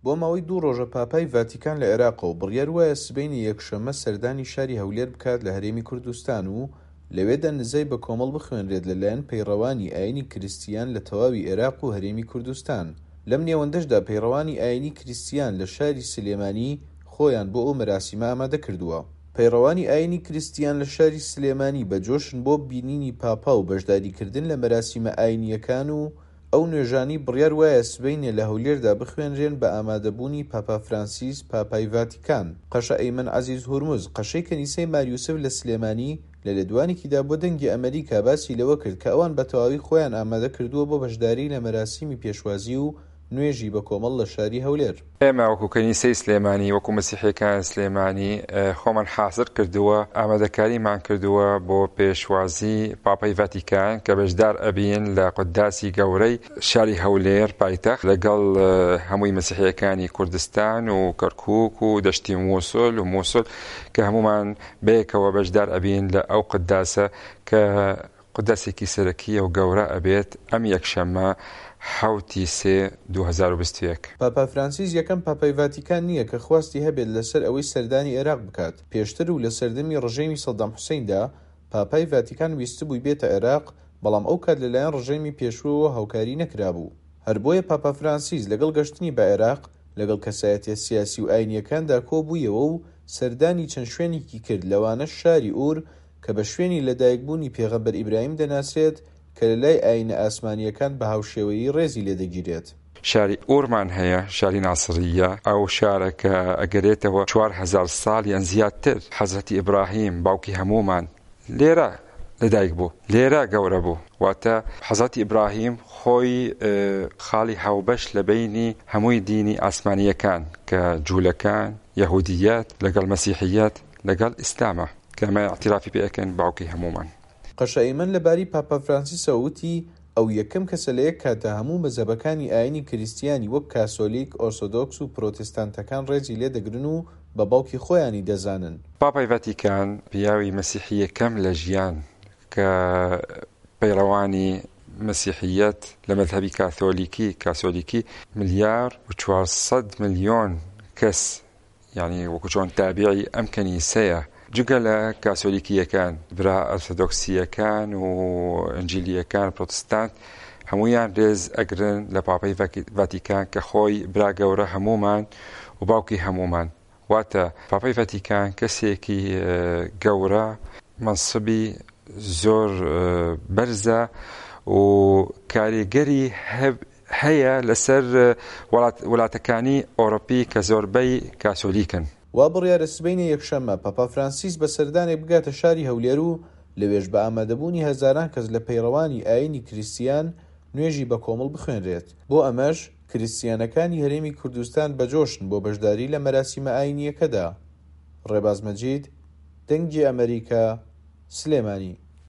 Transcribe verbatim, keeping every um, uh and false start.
بۆ ماوەی دوو ڕۆژە پاپای ڤاتیکان لە عێراقە و بڕیار وایە سبەینێ یەکشەممە سەردانی شاری هەولێر بکات لە هەرێمی کوردستان و لەوێدا نزای بەکۆمەڵ بخوێنرێت لەلایەن پەیڕەوانی ئاینی کریستیان لە تەواوی عێراق و هەرێمی کوردستان. لەم نێوەندەشدا پەیڕەوانی ئاینی کریستیان لە شاری سلێمانی خۆیان بۆ ئەو مەراسیمە ئامادە کردووە. پەیڕەوانی ئاینی کریستیان لە شاری سلێمانی بە جۆشن بۆ بینینی پاپا و بەشداریکردن لە مەراسیمە ئاینییەکان و ئەو نوێژانەی بڕیار وایە سبەینێ لە هەولێردا بخوێنرێن بە ئامادەبوونی پاپا فرانسیس پاپای ڤاتیکان. قەشە ئەیمەن عەزیز هورمز قەشەی کەنیسەی مار یوسف لە سلێمانی لە لێدوانێکیدا بۆ دەنگی ئەمەریکا باسی لەوە کرد کە ئەوان بە تەواوی خۆیان ئامادە کردووە بۆ بەشداری لە مەراسیمی پێشوازی و نوێژی بەکۆمەڵ لە شاری هەولێر. ئێمە وەکو کەنیسەی سلێمانی، وەکو مەسیحیەکان سلێمانی خۆمان حاضر کردووە، ئامادەکاریمان کردووە بۆ پێشوازی پاپای ڤاتیکان کە بەشدار ئەبین لە قوداسی گەورەی شاری هەولێر پایتەخت لەگەڵ هەمووی مەسیحیەکانی کوردستان و کەرکوک و دەشتی موسڵ و موسڵ کە هەمومان بەیەکەوە بەشدار ئەبین لە ئەو قوداسە کە قوداسێکی سەرەکیە و گەورە ئەبێت ئەم یەکشەممە حەوتی سێ دوو هەزار و بیست و یەک. پاپا فرانسیس یەکەم پاپای ڤاتیکان نییە کە خواستی هەبێت لەسەر ئەوەی سەردانی عێراق بکات. پێشتر و لە سەردەمی ڕژێمی سەدام حوسێندا پاپای ڤاتیکان ویستبووی بێتە عێراق، بەڵام ئەو کات لەلایەن ڕژێمی پێشووەوە هاوکاری نەکرابوو. هەر بۆیە پاپا فرانسیس لەگەڵ گەشتنی بە عێراق لەگەڵ کەسایەتیە سیاسی و ئاینیەکاندا کۆبوویەوە و سەردانی چەند شوێنێکی کرد، لەوانەش شاری ئور کە بە شوێنی لەدایکبوونی پێغەمبەر ئیبراهیم دەناسرێت کە لە لای ئاینە ئاسمانیەکان بە هاوشێوەیی ڕێزی لێدەگیرێت. شاری ئورمان هەیە، شاری ناسریە، ئەو شارە کە ئەگەرێتەوە چوار هەزار ساڵ یان زیاتر حەزرەتی ئیبراهیم باوکی هەمومان لێرە لەدایک بوو، لێرە گەورە بوو. واتە حەزرەتی ئیبراهیم خۆی خاڵی هاوبەش لە بینی هەمووی دینی ئاسمانیەکان کە جوولەکان، یەهودیەت لەگەڵ مەسیحیەت لەگەڵ ئیسلامە کە ئەمە اعترافی پێ ئەکەن باوکی هەمومان. قەشە ئەیمەن لەبارەی پاپا فرانسیسەوە وتی ئەو یەکەم کەسە لە یەک کاتە هەموو مەزهەبەکانی ئاینی کریستیانی وەک کاسۆلیک، ئۆرسۆدۆکس و پرۆتستانتەکان ڕێزی لێدەگرن و بە باوکی خۆیانی دەزانن. پاپای ڤاتیکان پیاوی مەسیحی یەکەم لە ژیان کە پەیڕەوانی مەسیحیەت لە مەذهبی کاثۆلیکی، کاسۆلیکی ملیار و چوارسەد ملیۆن کەس، یعنی وەکو چۆن تابعی ئەم کەنیسەیە، جگە لە کاسۆلیکیەکان، برا ئەرثۆدۆکسیەکان و ئەنجیلیەکان، پرۆتستانت، هەمویان ڕێز ئەگرن لە پاپای ڤاتیکان کە خۆی برا گەورە هەمومان و باوکی هەمومان. واتە پاپای ڤاتیکان کەسێکی گەورە، منصبی زۆر بەرزە و کاریگەری هەیە لەسەر وڵاتەکانی ئەوروپی کە زۆربەی کاسۆلیکن. وا بڕیارە سبەینێ یەکشەممە پاپا فرانسیس بە سەردانێک بگاتە شاری هەولێر و لەوێش بە ئامادەبوونی هەزاران کەس لە پەیڕەوانی ئاینی کریستیان نوێژی بە کۆمەڵ بخوێنرێت. بۆ ئەمەش کریستیانەکانی هەرێمی کوردستان بەجۆشن بۆ بەشداری لە مەراسیمە ئاینیەکەدا. ڕێباز مەجید، دەنگی ئەمەریکا، سلێمانی.